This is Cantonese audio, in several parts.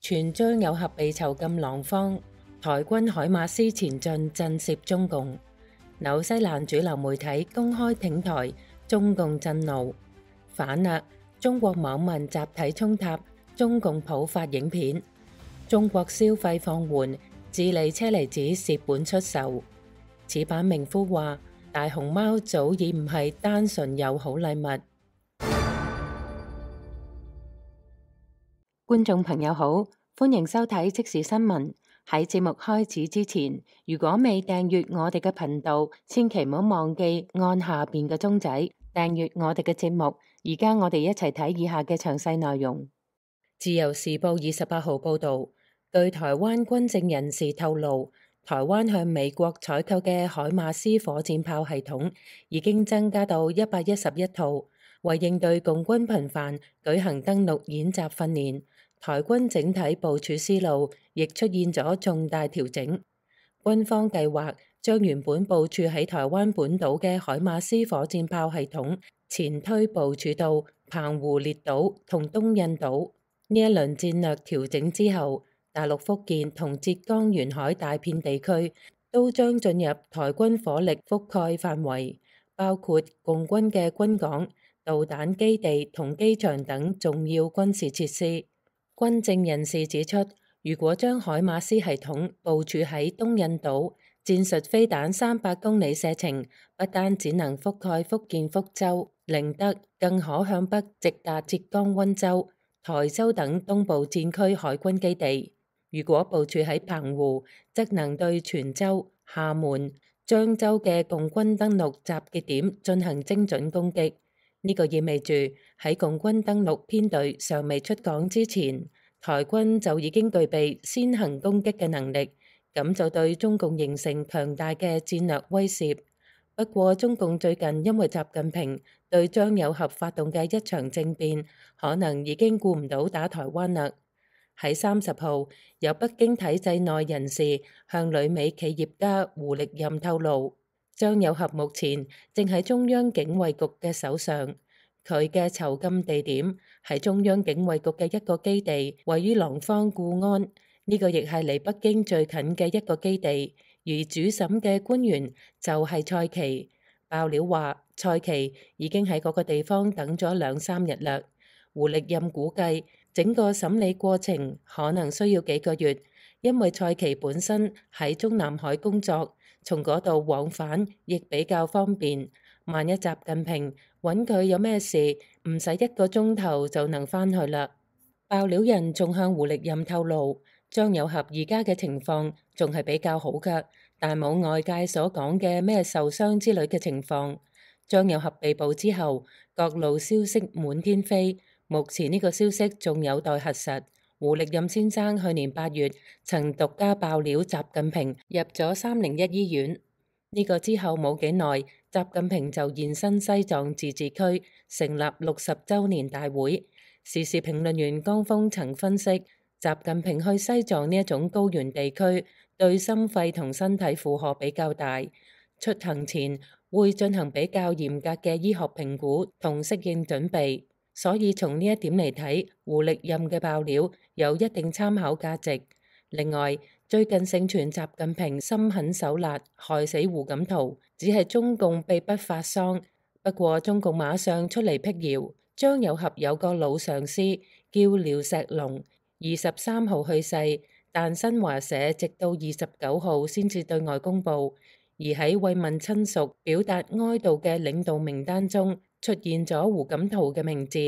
傳張有俠被囚禁廊坊，台軍海馬斯前進震懾中共。紐西蘭主流媒體公開挺台，中共震怒。反勒，中國網民集體衝塔，中共普發影片。中國消費放緩，智利車厘子蝕本出售。此版名夫話：大熊貓早已唔係單純友好禮物。觀眾朋友好，歡迎收睇即時新聞。喺節目開始之前，如果未訂閱我哋嘅頻道，千祈唔好忘記按下邊嘅鐘仔訂閱我哋嘅節目。而家我哋一齊睇以下嘅詳細內容。自由時報28號報道，據台灣軍政人士透露，台灣向美國採購嘅海馬斯火箭炮系統已經增加到111套，為應對共軍頻繁舉行登陸演習訓練。台軍整體部署思路亦出現咗重大調整，軍方計劃將原本部署喺台灣本島嘅海馬斯火箭炮系統前推部署到澎湖列島同東印島。呢一輪戰略調整之後，大陸福建同浙江沿海大片地區都將進入台軍火力覆蓋範圍，包括共軍嘅軍港、導彈基地同機場等重要軍事設施。軍政人士指出，如果將海馬斯系統部署喺東印島，戰術飛彈300公里射程，不單只能覆蓋福建福州、寧德，更可向北直達浙江溫州、台州等東部戰區海軍基地。如果部署喺澎湖，則能對泉州、廈門、漳州嘅共軍登陸集結點進行精準攻擊。呢個意味住喺共軍登陸編隊尚未出港之前，台軍就已經具備先行攻擊嘅能力，咁就對中共形成強大嘅戰略威懾。不過，中共最近因為習近平對張有俠發動嘅一場政變，可能已經顧唔到打台灣啦。喺30號，有北京體制內人士向旅美企業家胡力任透露，張有俠目前正喺中央警衛局嘅手上，佢嘅囚禁地點係中央警衛局嘅一個基地，位於廊坊固安，呢個亦係離北京最近嘅一個基地。而主審嘅官員就係蔡奇。爆料話，蔡奇已經喺嗰個地方等咗2-3日啦。胡力任估計，整個審理過程可能需要幾個月，因為蔡奇本身喺中南海工作，從嗰度往返亦比較方便。萬一習近平揾佢有咩事，唔使1個鐘頭就能返去啦。爆料人仲向胡力任透露，張有俠而家嘅情況仲係比較好㗎，但冇外界所講嘅咩受傷之類嘅情況。張有俠被捕之後，各路消息滿天飛，目前呢個消息仲有待核實。胡力任先生去年8月曾獨家爆料習近平入咗301醫院，呢個之後冇幾耐，習近平就現身西藏自治區成立60週年大會。時事評論員江峰曾分析，習近平去西藏呢一種高原地區對心肺同身體負荷比較大，出行前會進行比較嚴格嘅醫學評估同適應準備，所以從呢一點嚟睇，胡力任嘅爆料有一定參考價值。另外，最近盛傳習近平心狠手辣害死胡錦濤，只係中共秘不發喪。不過中共馬上出嚟辟謠，張有俠有個老上司叫廖石龍，23號去世，但新華社直到29號先至對外公佈。而喺慰問親屬、表達哀悼嘅領導名單中出現咗胡錦濤嘅名字，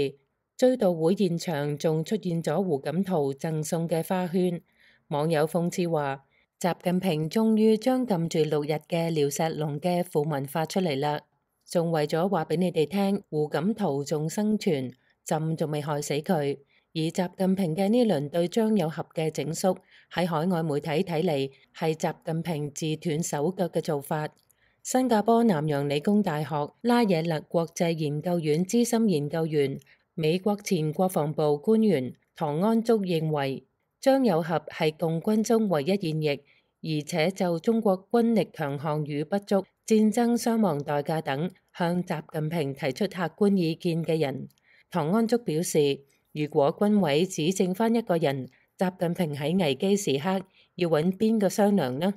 追悼會現場仲出現咗胡錦濤贈送嘅花圈。網友諷刺話，習近平終於將禁住6日嘅廖石龍嘅訃聞發出嚟啦，仲為咗話俾你哋聽，胡錦濤仲生存，朕仲未害死佢。而習近平嘅呢輪對張有俠嘅整肅，喺海外媒體睇嚟係習近平自斷手腳嘅做法。新加坡南洋理工大學拉惹勒國際研究院資深研究員、美國前國防部官員唐安竹認為，張有俠係共軍中唯一現役，而且就中國軍力強項與不足、戰爭傷亡代價等向習近平提出客觀意見嘅人。唐安竹表示，如果軍委只剩返1個人，習近平喺危機時刻要揾邊個商量呢？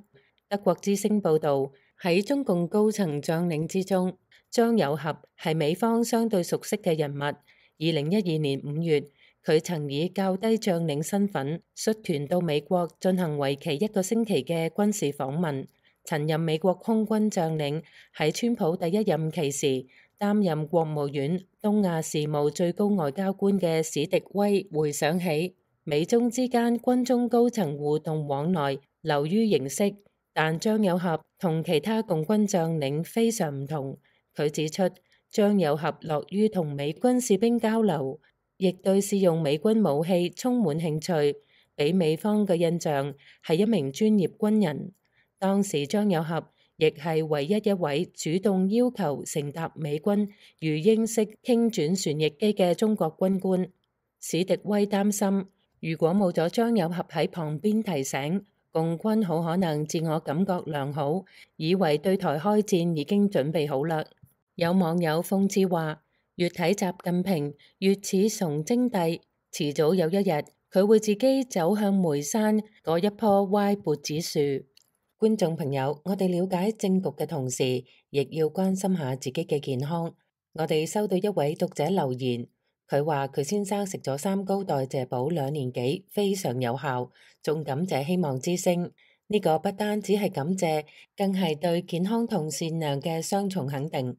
德國之聲報導，喺中共高層將領之中，張又俠係美方相對熟悉嘅人物。2012年5月，佢曾以較低將領身份率團到美國進行為期1個星期嘅軍事訪問。曾任美國空軍將領，喺川普第一任期時擔任國務院東亞事務最高外交官嘅史迪威回想起，美中之間軍中高層互動往來流於形式，但張又俠同其他共軍將領非常唔同。佢指出，張又俠樂於同美軍士兵交流，亦對使用美軍武器充滿興趣，俾美方嘅印象係一名專業軍人。當時張又俠亦係唯一一位主動要求乘搭美軍魚鷹式輕轉旋翼機嘅中國軍官。史迪威擔心，如果冇咗張又俠喺旁邊提醒，共軍好可能自我感覺良好，以為對台開戰已經準備好啦。有網友諷刺話，越睇習近平越似崇禎帝，遲早有一日佢會自己走向梅山嗰一棵歪脖子樹。觀眾朋友，我哋了解政局嘅同時，亦要關心下自己嘅健康。我哋收到一位讀者留言，佢話佢先生食咗3高代謝寶2年幾，非常有效，仲感謝希望之聲。呢個不單只係感謝，更係對健康同善良嘅雙重肯定。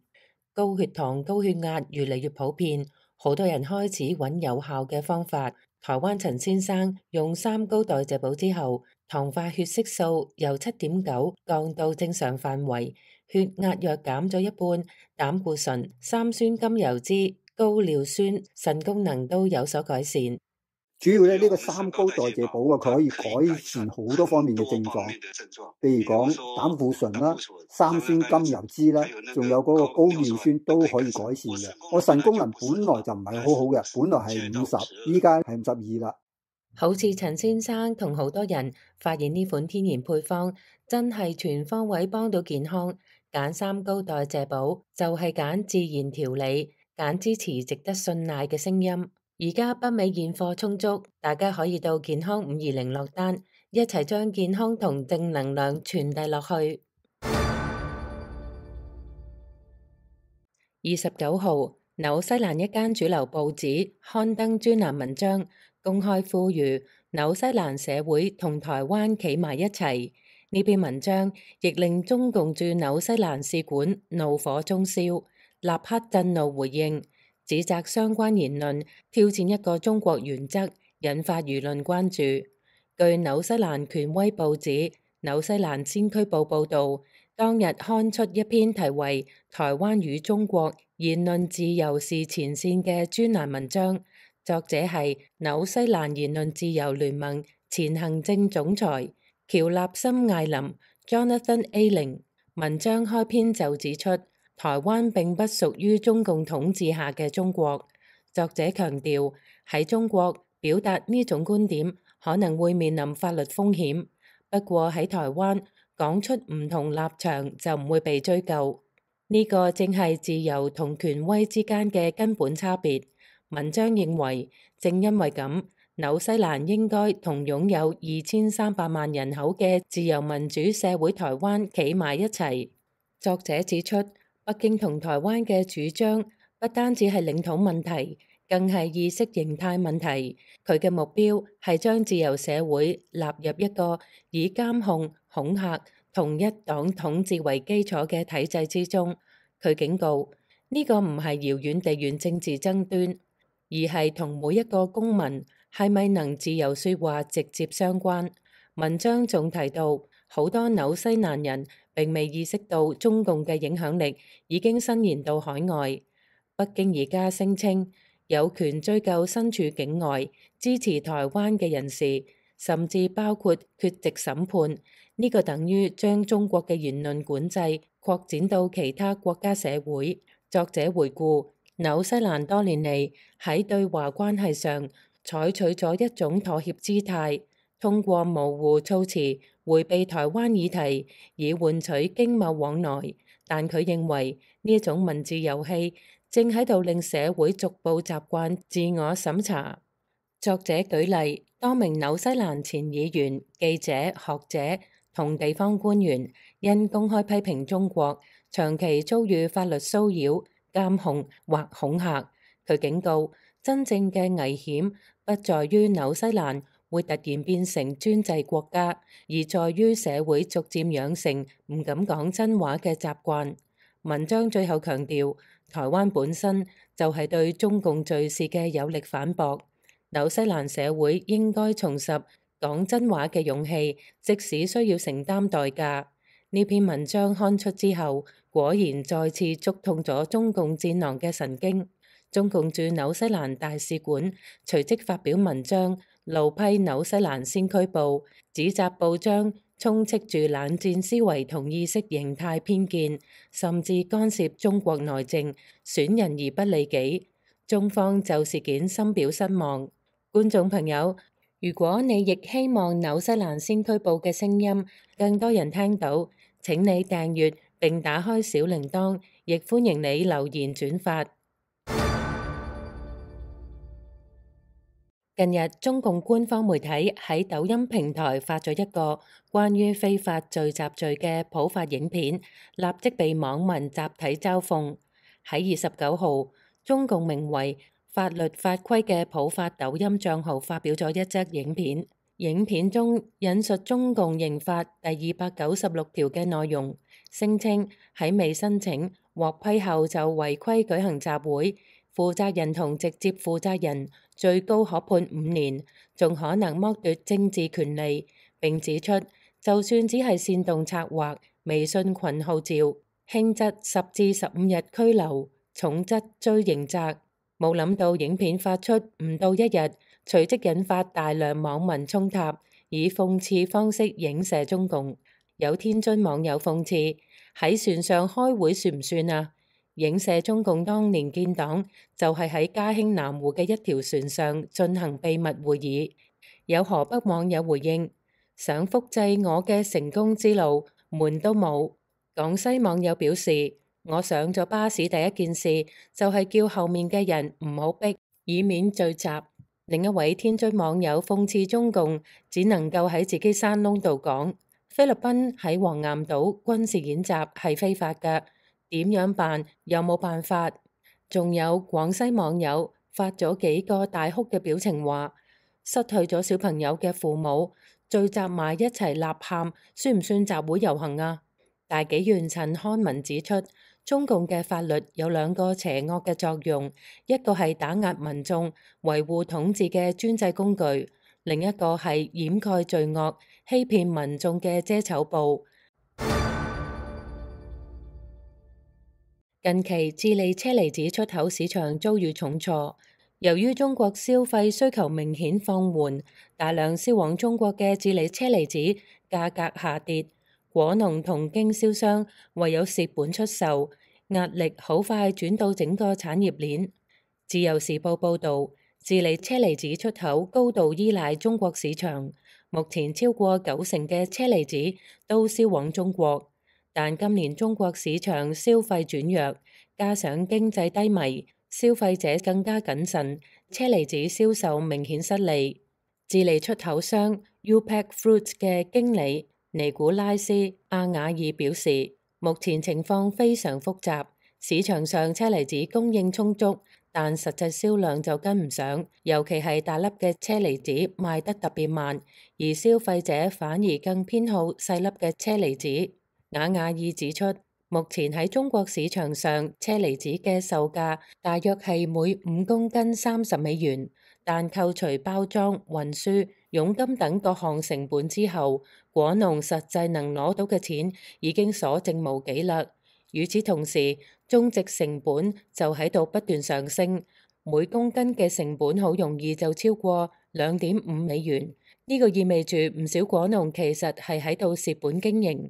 高血糖、高血壓越嚟越普遍，好多人開始揾有效嘅方法。台灣陳先生用3高代謝寶之後，糖化血色素由7.9降到正常範圍，血壓藥減咗一半，膽固醇、三酸甘油酯、高尿酸、腎功能都有所改善。主要呢個3高代謝寶啊，佢可以改善好多方面嘅症狀，譬如講膽固醇啦、三酸甘油酯啦，仲有嗰個高尿酸都可以改善嘅。我腎功能本來就唔係好好嘅，本來係50，依家係52啦。好似陳先生同好多人發現呢款天然配方真係全方位幫到健康，揀3高代謝寶就係揀自然調理，揀支持值得信賴嘅聲音。而家北美現貨充足，大家可以到健康520落單，一齊將健康同正能量傳遞落去。29號，紐西蘭一間主流報紙刊登專欄文章，公開呼籲紐西蘭社會同台灣企埋一齊。呢篇文章亦令中共駐紐西蘭使館怒火中燒，立刻震怒回應，指責相關言論挑戰一個中國原則，引發輿論關注。據紐西蘭權威報紙《紐西蘭先驅報》報導，當日刊出一篇題為《台灣與中國言論自由是前線》嘅專欄文章，作者係紐西蘭言論自由聯盟前行政總裁喬納森艾林 Jonathan Ayling。文章開篇就指出，台灣並不屬於中共統治下嘅中國。作者強調，喺中國表達呢種觀點可能會面臨法律風險，不過喺台灣講出唔同立場就唔會被追究。呢個正係自由同權威之間嘅根本差別。文章認為，正因為咁，紐西蘭應該同擁有2300萬人口嘅自由民主社會台灣企埋一齊。作者指出，北京同台灣嘅主張不單止係領土問題，更係意識形態問題。佢嘅目標係將自由社會納入一個以監控、恐嚇同一黨統治為基礎嘅體制之中。佢警告，呢個唔係遙遠地緣政治爭端，而係同每一個公民係咪能自由說話直接相關。文章仲提到，好多紐西蘭人並未意識到中共嘅影響力已經伸延到海外。北京而家聲稱有權追究身處境外支持台灣嘅人士，甚至包括缺席審判。呢個等於將中國嘅言論管制擴展到其他國家社會。作者回顧，紐西蘭多年嚟喺對華關係上採取咗一種妥協姿態，通過模糊措辭迴避台灣議題，以換取經貿往來。但佢認為呢一種文字遊戲正喺度令社會逐步習慣自我審查。作者舉例，多名紐西蘭前議員、記者、學者同地方官員因公開批評中國，長期遭遇法律騷擾、監控或恐嚇。佢警告，真正嘅危險不在於紐西蘭會突然變成專制國家，而在於社會逐漸養成唔敢講真話嘅習慣。文章最後強調，台灣本身就係對中共敘事嘅有力反駁。紐西蘭社會應該重拾講真話嘅勇氣，即使需要承擔代價。呢篇文章刊出之後，果然再次觸痛咗中共戰狼嘅神經。中共駐紐西蘭大使館隨即發表文章，怒批紐西蘭先驅報，指責報章充斥住冷戰思維同意識形態偏見，甚至干涉中國內政，損人而不利己。中方就事件深表失望。觀眾朋友，如果你亦希望紐西蘭先驅報嘅聲音更多人聽到，請你訂閱並打開小鈴鐺，亦歡迎你留言轉發。近日，中共官方媒體喺抖音平台發咗一個關於非法聚集罪嘅普法影片，立即被網民集體嘲諷。喺29號，中共名為法律法規嘅普法抖音帳號發表咗一則影片，影片中引述中共刑法第296條嘅內容，聲稱喺未申請獲批後就違規舉行集會，負責人同直接負責人最高可判5年，仲可能剝奪政治權利。並指出，就算只係煽動策劃、微信群號召，輕則10至15日拘留，重則追刑責。冇諗到影片發出唔到一日，隨即引發大量網民衝塔，以諷刺方式影射中共。有天津網友諷刺：喺船上開會算唔算啊？影射中共當年建黨就係喺嘉興南湖嘅一條船上進行秘密會議。有河北網友回應：想複製我嘅成功之路，門都冇。廣西網友表示：我上咗巴士第一件事就係叫後面嘅人唔好逼，以免聚集。另一位天津網友諷刺中共只能夠喺自己山窿度講，菲律賓喺黃岩島軍事演習係非法㗎，點樣辦？有冇辦法？仲有廣西網友發咗幾個大哭嘅表情話，失去咗小朋友嘅父母聚集埋一齊吶喊，算唔算集會遊行啊？大紀元陳刊文指出，中共嘅法律有兩個邪惡嘅作用，一個係打壓民眾、維護統治嘅專制工具，另一個係掩蓋罪惡、欺騙民眾嘅遮醜布。近期智利車厘子出口市場遭遇重挫，由於中國消費需求明顯放緩，大量銷往中國嘅智利車厘子價格下跌。果農同經銷商唯有蝕本出售，壓力好快轉到整個產業鏈。自由時報報導，智利車厘子出口高度依賴中國市場，目前超過90%嘅車厘子都銷往中國。但今年中國市場消費轉弱，加上經濟低迷，消費者更加謹慎，車厘子銷售明顯失利。智利出口商 UPEC Fruits 嘅經理尼古拉斯·阿瓦爾表示，目前情況非常複雜，市場上車厘子供應充足，但實際銷量就跟唔上，尤其係大粒嘅車厘子賣得特別慢，而消費者反而更偏好細粒嘅車厘子。瓦瓦爾指出，目前喺中國市場上，車厘子嘅售價大約係每5公斤30美元，但扣除包裝、運輸、佣金等各項成本之後，果農實際能攞到嘅錢已經所剩無幾啦。與此同時，種植成本就喺度不斷上升，每公斤嘅成本好容易就超過2.5美元。呢個意味住唔少果農其實係喺度蝕本經營。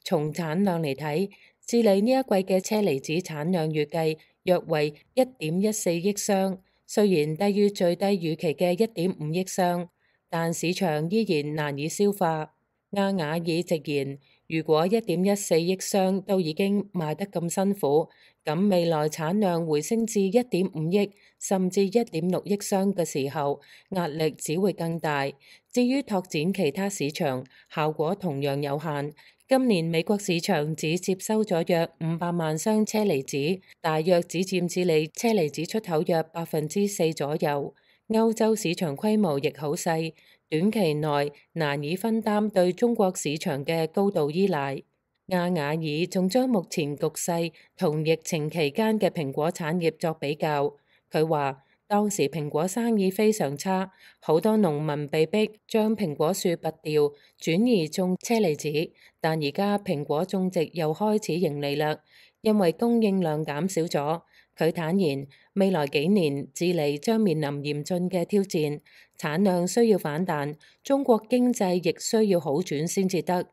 從產量嚟睇，智利呢一季嘅車厘子產量預計約為1.14億箱，雖然低於最低預期嘅1.5億箱，但市場依然難以消化。阿瓦爾直言，如果1.14億箱都已經賣得咁辛苦，咁未來產量回升至1.5億甚至1.6億箱嘅時候，壓力只會更大。至於拓展其他市場，效果同樣有限。今年美國市場只接收咗約500萬箱車厘子，大約只佔智利車厘子出口約4%左右。歐洲市場規模亦好細，短期內難以分擔對中國市場嘅高度依賴。亞瓦爾仲將目前局勢同疫情期間嘅蘋果產業作比較，佢話當時蘋果生意非常差，好多農民被逼將蘋果樹拔掉，轉移種車厘子，但而家蘋果種植又開始盈利啦，因為供應量減少咗。佢坦言，未來幾年智利將面臨嚴峻嘅挑戰，產量需要反彈，中國經濟亦需要好轉先至得。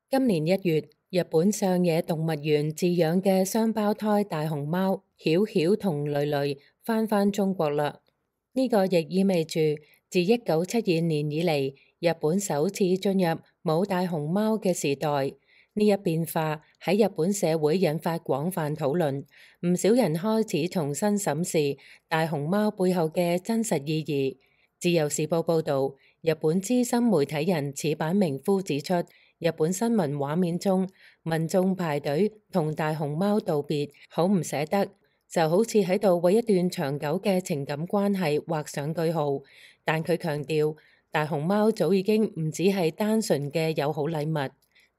今年1月，日本上野動物園飼養嘅雙胞胎大熊貓曉曉同蕾蕾返中國啦。呢個亦意味住自1972年以嚟，日本首次進入冇大熊貓嘅時代。呢一變化喺日本社會引發廣泛討論，唔少人開始重新審視大熊貓背後嘅真實意義。自由時報報導，日本資深媒體人矢板明夫指出，日本新聞畫面中，民眾排隊同大熊貓道別，好唔捨得，就好似喺度為一段長久嘅情感關係畫上句號。但佢強調，大熊貓早已經唔只係單純嘅友好禮物。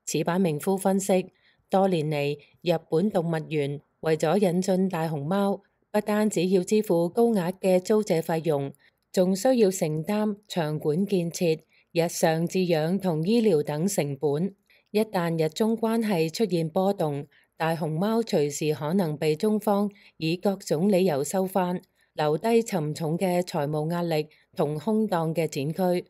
矢板明夫分析，多年嚟，日本動物園為咗引進大熊貓，不單止要支付高額嘅租借費用，仲需要承擔場館建設、日常飼養同醫療等成本。一旦日中關係出現波動，大熊貓隨時可能被中方以各種理由收返，留低沉重嘅財務壓力同空蕩嘅展區。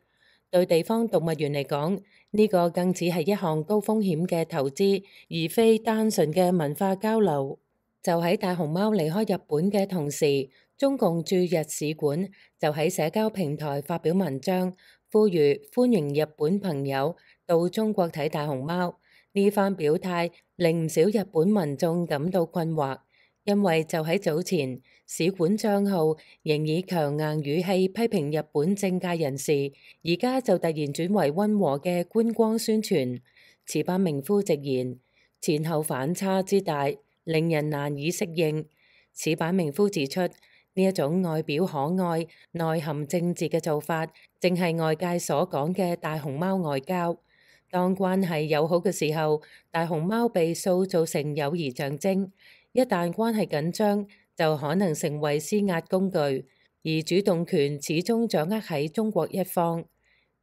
對地方動物園嚟講，呢個更似係一項高風險嘅投資，而非單純嘅文化交流。就喺大熊貓離開日本嘅同時，中共駐日使館就喺社交平台發表文章，呼籲歡迎日本朋友到中國睇大熊貓。呢番表態令唔少日本民眾感到困惑，因為就喺早前，使館帳號仍以強硬語氣批評日本政界人士，而家就突然轉為溫和嘅觀光宣傳。矢板明夫直言，前後反差之大，令人難以適應。矢板明夫指出，呢一種外表可愛、內含政治嘅做法，正係外界所講嘅大熊貓外交。當關係友好嘅時候，大熊貓被塑造成友誼象徵；一旦關係緊張，就可能成為施壓工具，而主動權始終掌握喺中國一方。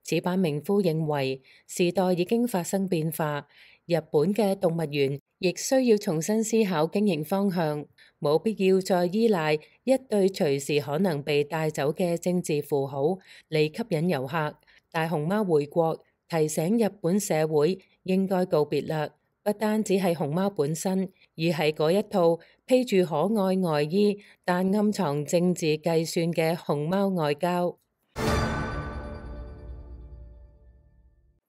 矢板明夫認為，時代已經發生變化，日本嘅動物園亦需要重新思考經營方向，冇必要再依賴一對隨時可能被帶走嘅政治符號嚟吸引遊客。大熊貓回國，提醒日本社會應該告別啦。不單止係熊貓本身，而係嗰一套披住可愛外衣但暗藏政治計算嘅熊貓外交。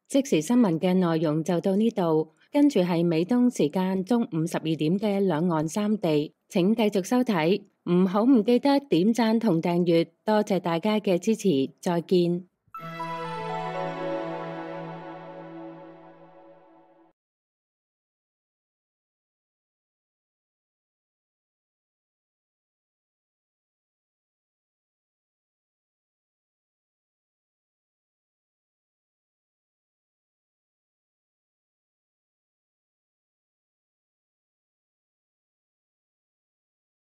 即時新聞嘅內容就到呢度，跟住係美東時間中午12點嘅兩岸三地，請繼續收睇，唔記得點讚同訂閱，多謝大家嘅支持，再見。